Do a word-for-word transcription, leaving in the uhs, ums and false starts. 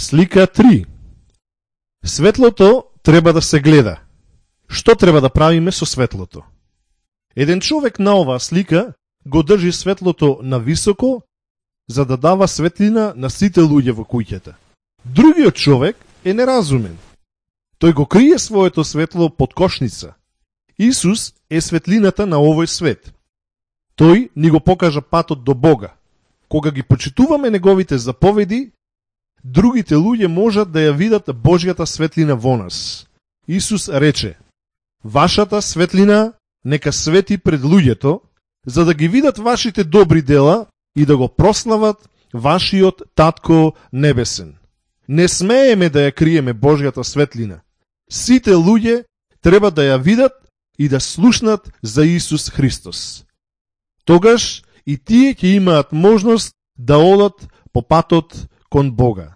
Слика три. Светлото треба да се гледа. Што треба да правиме со светлото? Еден човек на оваа слика го држи светлото на високо, за да дава светлина на сите луѓе во куќата. Другиот човек е неразумен. Тој го крие своето светло под кошница. Исус е светлината на овој свет. Тој ни го покажа патот до Бога. Кога ги почитуваме неговите заповеди, другите луѓе можат да ја видат Божјата светлина во нас. Исус рече: вашата светлина нека свети пред луѓето, за да ги видат вашите добри дела и да го прослават вашиот Татко Небесен. Не смееме да ја криеме Божјата светлина. Сите луѓе треба да ја видат и да слушнат за Исус Христос. Тогаш и тие ќе имаат можност да одат по патот кон Бога.